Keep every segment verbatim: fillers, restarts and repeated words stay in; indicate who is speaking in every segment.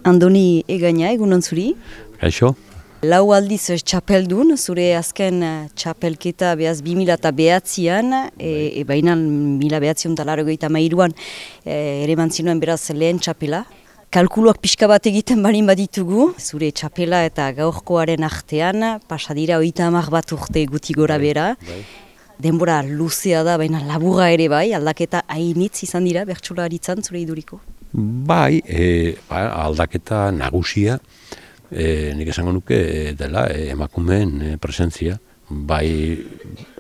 Speaker 1: Andoni Egaina, egunon zuri?
Speaker 2: Kaixo?
Speaker 1: Lau aldiz txapeldun, zure azken txapelketa behaz bi mila eta behatzian, e, e baina mila behatzion talaro goita mairuan e, ere mantzinuen beraz lehen txapela. Kalkuluak pixka bat egiten barin baditugu, zure txapela eta gaurkoaren artean, pasadira oita hamar bat urte guti gora bera. Bai. Denbora luzea da, baina laburra ere bai, aldaketa hainitz izan dira, bertsolaritzan zure iduriko?
Speaker 2: Bai, e, ba, aldaketa nagusia, e, nik esango nuke e, dela e, emakumeen e, presentzia, bai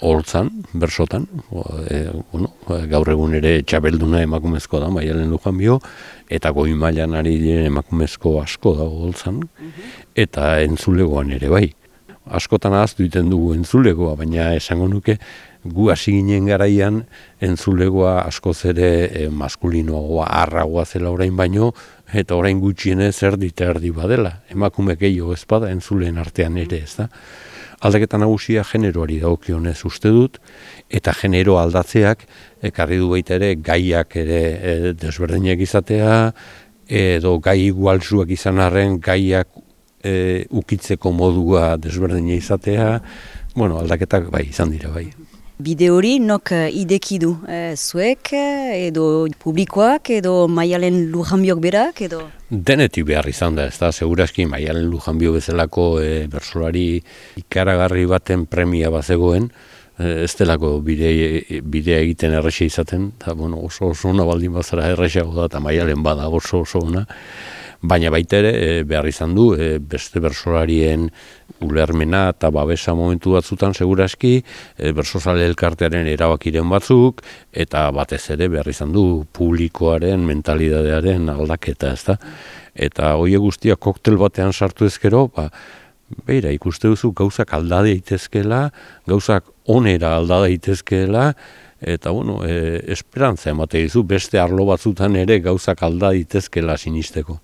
Speaker 2: holtzan, bersotan, e, bueno, gaur egun ere txapelduna emakumezko da, Maialen Lujanbio, eta goi mailan ari diren emakumezko asko dago holtzan, eta entzulegoan ere bai. Askotan ahaztu egiten dugu entzulegoa, baina esango nuke gu hasi ginen garaian entzulegoa askoz ere e, maskulinoagoa, arragoa zela orain baino, eta orain gutxienez erdi eta erdi badela. Emakume gehiago ez bada entzuleen artean ere, ez da. Aldaketa nagusia generoari dagokionez uste dut, eta genero aldatzeak ekarri du baita ere gaiak ere e, desberdinak izatea, edo gai igualzuak izan arren gaiak e, ukitzeko modua desberdina izatea, bueno, aldaketak bai izan dira bai.
Speaker 1: Bide hori nok ideki du, e, zuek edo publikoak edo Maialen Lujanbiok berak edo?
Speaker 2: Denetik behar izan da, ez da, segurazki Maialen Lujanbio bezalako e, bersolari ikaragarri baten premia bazegoen, e, ez delako bide, bidea egiten errexea izaten, eta bueno, oso oso ona baldin bazara errexeago da, eta Maialen bada oso oso ona, baina baita ere e, behar izan du e, beste bersolarien ulermena eta babesa momentu batzutan segurazki, e, bersozale elkartearen erabakiren batzuk, eta batez ere behar izan du publikoaren mentalidadearen aldaketa, ezta? Eta horiek guztiak koktel batean sartu ezkero, ba, beira, ikuste duzu gauzak alda daitezkeela, gauzak onera alda daitezkeela, eta bueno, e, esperantza emate dizu, beste arlo batzutan ere gauzak alda daitezkeela sinisteko.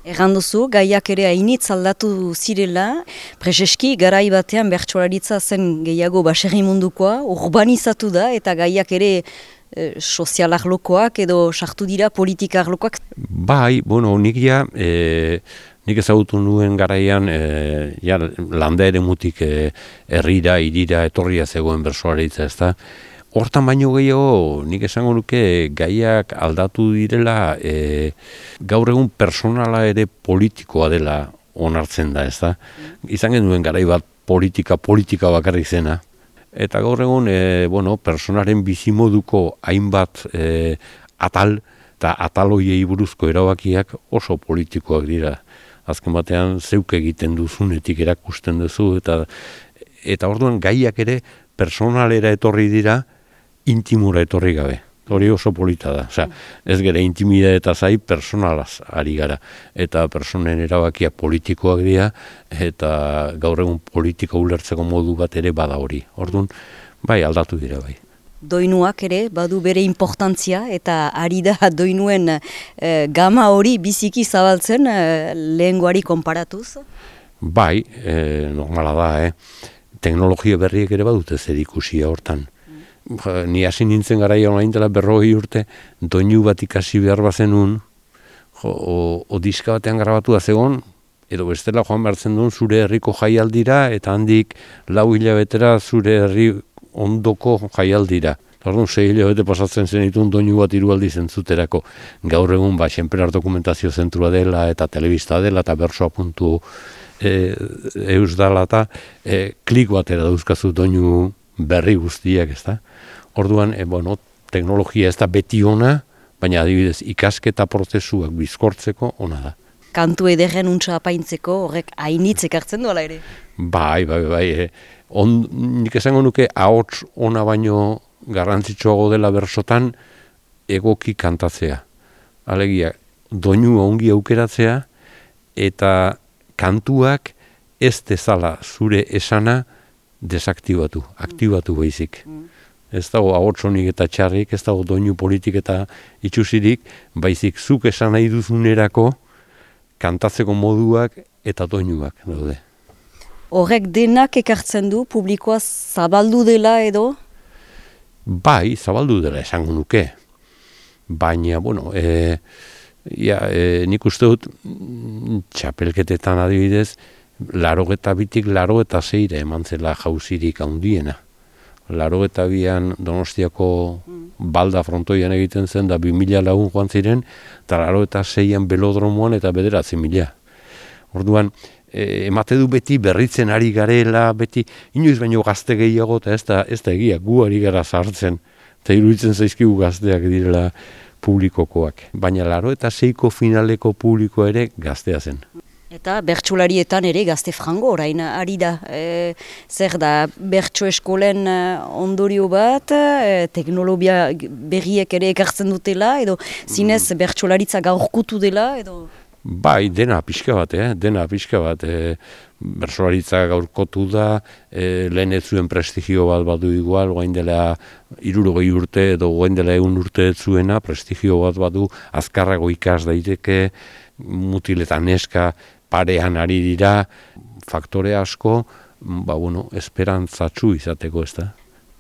Speaker 1: Egan duzu, gaiak ere hainitz aldatu zirela, prezeski garai batean bertsolaritza zen gehiago baserri mundukoa, urbanizatu da, eta gaiak ere e, sozialak lokoak edo sartu dira politikak lokoak.
Speaker 2: Bai, bueno, nik ja, e, nik ezagutu nuen garaian, e, ja, landa ere mutik e, herrira, irira, etorria zegoen bertsolaritza, ez da. Hortan baino gehiago, nik esango nuke gaiak aldatu direla, e, gaur egun personala ere politikoa dela onartzen da, ez da? Izan genuen garai bat politika, politika bakarrik zena. Eta gaur egun, e, bueno, personaren bizimoduko hainbat e, atal, eta atal hoiei buruzko erabakiak oso politikoak dira. Azken batean, zeuk egiten duzunetik erakusten duzu, eta, eta orduan gaiak ere personalera etorri dira, intimura etorri gabe. Hori oso polita da. Osea, ez gera intimida eta zai personalaz ari gara. Eta personen erabakiak politikoak dira, eta gaur egun politika ulertzeko modu bat ere bada hori. Orduan, bai, aldatu dira bai.
Speaker 1: Doinuak ere badu bere importantzia, eta ari da doinuen e, gama hori biziki zabaltzen e, lehengoari konparatuz?
Speaker 2: Bai, e, normala da, eh? Teknologia berriek ere badute zer ikusia hortan. Ni hasi nintzen garaia orain dela berrogei urte, doinu bat ikasi behar bazenun, jo, o, o diska batean grabatua zegon, edo bestela joan behartzen duen zure herriko jaialdira, eta handik lau hilabetera zure herri ondoko jaialdira. Orduan, sei hilabete pasatzen zen ditun doinu bat hiru aldiz entzuterako. Gaur egun, ba, Xenperar dokumentazio zentrua dela, eta telebista dela, eta bersoa puntu e, eus dela, eta e, klik batera dauzkazu doinu berri guztiak, ez da? Orduan, e, bueno, teknologia ez da beti ona, baina adibidez ikasketa prozesuak bizkortzeko ona da.
Speaker 1: Kantu ederren untsa apaintzeko horrek hainitz ekartzen duela ere?
Speaker 2: Bai, bai, bai. E, on, nik esango nuke ahots ona baino garrantzitsuago dela bersotan egoki kantatzea. Alegia, doinu ongi aukeratzea eta kantuak ez dezala zure esana desaktibatu, aktibatu baizik. Mm. Ez dago ahotsonik eta txarrik, ez dago doinu politik eta itxusirik, baizik zuk esan nahi duzunerako kantatzeko moduak eta doinuak daude.
Speaker 1: Horrek denak ekartzen du, publikoa zabaldu dela edo?
Speaker 2: Bai, zabaldu dela esango nuke. Baina, bueno, e, Ja, e, nik uste dut txapelketetan adibidez, larogeta bitik larogeta zeire eman zela jauzirik handiena. Larogeta bian Donostiako balda frontoian egiten zen, da bi mila lagun joan ziren, eta larogeta zeian belodromoan eta bederatzi mila. Orduan, e, emate du beti berritzen ari garela, beti inoiz baino gazte gehiago, eta ez da, ez da egia, gu ari gara sartzen, eta iruditzen zaizkigu gazteak direla publikokoak. Baina laro eta seiko finaleko publiko ere gaztea zen.
Speaker 1: Eta bertsolarietan ere gazte frango orain ari da. E, zer da, bertso eskolen ondorio bat, e, teknologia berriek ere ekartzen dutela, edo zinez bertsolaritza gaurkutu dela, edo...
Speaker 2: Bai, dena pixka bat, eh? dena pixka bat. E, bertsolaritza gaurkotu da, e, lehen ez zuen prestigio bat badu igual, guain dela hirurogei urte edo guain dela egun urte ez zuena, prestigio bat badu, azkarrago ikas daiteke, mutil eta neska parean ari dira, faktore asko, ba, bueno, esperantzatsu izateko ez da.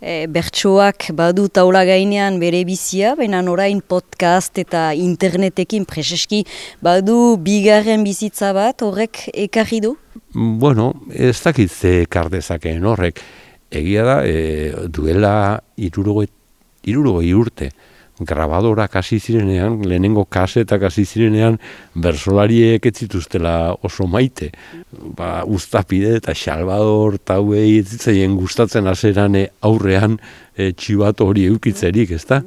Speaker 1: E, bertsoak badu taula gainean bere bizia, baina orain podcast eta internetekin preseski badu bigarren bizitza bat horrek ekarri du?
Speaker 2: Bueno, ez dakit ze ekar dezakeen horrek. Egia da, e, duela hirurogei urte, grabadorak hasi zirenean, lehenengo kasetak hasi zirenean, bertsolariek ez zituztela oso maite. Ba, Uztapide eta Salvador tauei ez zitzaien gustatzen haseran aurrean e, txibato hori eukitzerik, ezta?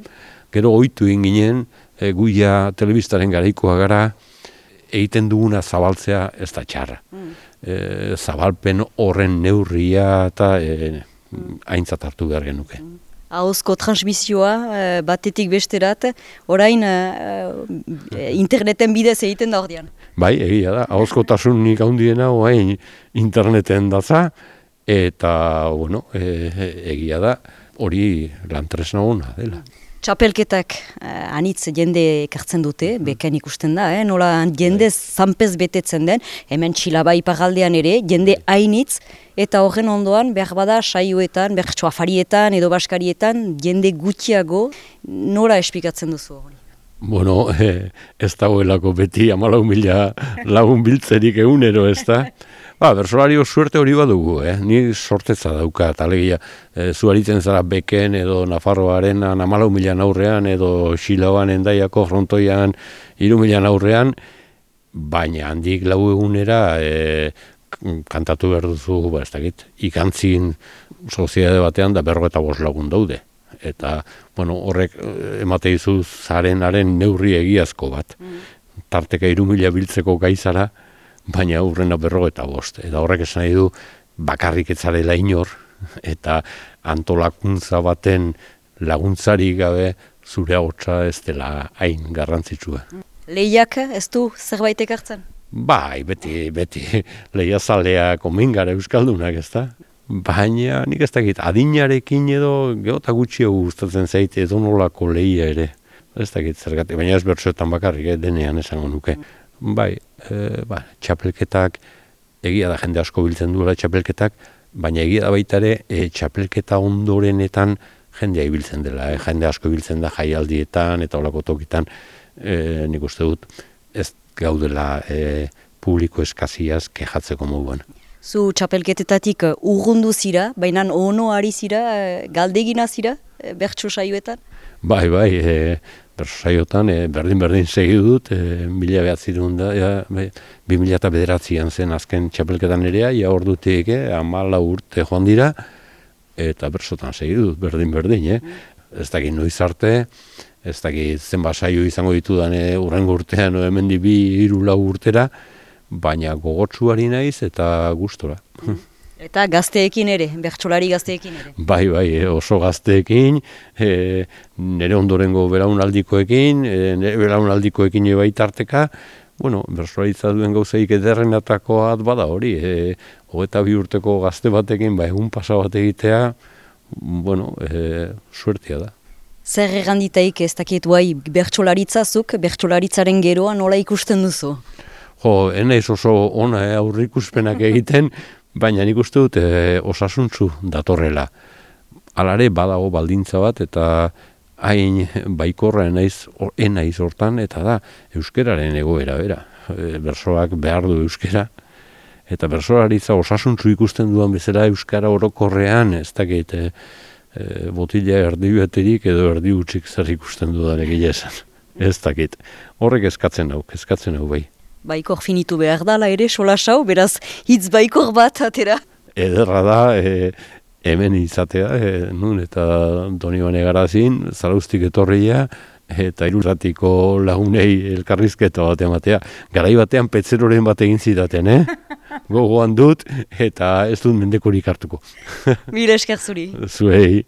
Speaker 2: Gero ohitu egin ginen, e, guia telebistaren garaikoa gara, egiten duguna zabaltzea ez da txarra. E, zabalpen horren neurria eta e, aintzat hartu behar genuke.
Speaker 1: Ahozko transmisioa batetik besterat, orain interneten bidez egiten da ordean.
Speaker 2: Bai, egia da, ahozko tasunik handiena orain interneten datza, eta, bueno, e, egia da, hori lantresna ona dela.
Speaker 1: Txapelketak uh, anitz jende ekartzen dute, beken ikusten da, eh? Nola jende zanpez betetzen den, hemen Txilaba iparraldean ere, jende hainitz, eta horren ondoan, behar bada saioetan, bertso afarietan edo baskarietan, jende gutxiago, nola espikatzen duzu hori?
Speaker 2: Bueno, eh, ez dagoelako beti hamalau mila lagun biltzerik egunero, ez da? Ba, bersolario suerte hori badugu, eh? Ni sortetza dauka, alegia, e, zuaritzen zara beken edo Nafarroaren hamalau mila aurrean edo Xilaban endaiako frontoian hiru mila aurrean, baina handik lau egunera e, kantatu behar duzu, ba, ez dakit, ikantzin soziedade batean da berrogeta bost lagun daude. Eta, bueno, horrek emate dizu zarenaren neurri egiazko bat. Tarteka hiru mila biltzeko gaizara, baina aurrena berrogeta bost. Eta horrek esan nahi du bakarrik ez zarela inor, eta antolakuntza baten laguntzarik gabe zure ahotsa ez dela hain garrantzitsua.
Speaker 1: Lehiak ez du zerbait ekartzen?
Speaker 2: Bai, beti, beti lehiazaleak omen gara euskaldunak, ez da? Baina nik ez dakit, adinarekin edo geota gutxiago gustatzen zait edo nolako lehia ere. Ez dakit zergatik, baina ez bertsoetan bakarrik, eh, denean esango nuke. Bai, e, ba, txapelketak, egia da jende asko biltzen duela txapelketak, baina egia da baita ere e, txapelketa ondorenetan jendea ibiltzen dela, eh? Jende asko ibiltzen da jaialdietan eta olako tokitan, e, nik uste dut, ez gaudela e, publiko eskaziaz kejatzeko moduan.
Speaker 1: Zu txapelketetatik urrundu zira, baina ono ari zira, galdegina zira, bertso saioetan?
Speaker 2: Bai, bai, e, bertso saioetan e, berdin-berdin segi dut, e, mila behatzirun da, ja, be, bi mila eta bederatzian zen azken txapelketan erea, ja ordutik, eh, amala urte joan dira, eta bertsotan segi dut, berdin-berdin, eh? Mm. Ez dakit noiz arte, ez dakit zenbat saio izango ditudan e, urrengo urtean, no, hemendi bi, hiru, lau urtera, baina gogotsuari naiz eta gustora.
Speaker 1: Eta gazteekin ere, bertsolari gazteekin ere.
Speaker 2: Bai, bai, oso gazteekin, e, nire ondorengo belaunaldikoekin, e, nire belaunaldikoekin ebaitarteka, bueno, bertsolaritza duen gauzaik ederrenatako bat bada hori, e, hogeita bi urteko gazte batekin, ba, egun pasa bat egitea, bueno, e, suertia da.
Speaker 1: Zer erranditaik ez dakit guai bertsolaritzazuk, bertsolaritzaren geroa nola ikusten duzu?
Speaker 2: Jo, enaiz oso ona eh, aurrikuspenak egiten, baina nik uste dut eh, osasuntzu datorrela. Alare badago baldintza bat eta hain baikorra naiz, enaiz hortan, eta da, euskeraren egoera, bera. E, bersoak behar du euskera, eta bersoaritza osasuntzu ikusten duan bezala euskara orokorrean, ez dakit, e, e, botila erdi beterik edo erdi utzik zer ikusten dudan egia esan. Ez dakit. Horrek eskatzen hau, eskatzen hau bai.
Speaker 1: Baikor finitu behar dala ere, solasau, beraz hitz baikor bat atera.
Speaker 2: Ederra da, e, hemen izatea, e, nun eta Donibane Garazin, Zarauztik etorria, eta irurratiko lagunei elkarrizketa bat ematea. Garai batean petzeroren bat egin zidaten, eh? Gogoan dut, eta ez dut mendekorik hartuko.
Speaker 1: Mila esker zuri.
Speaker 2: Zuei.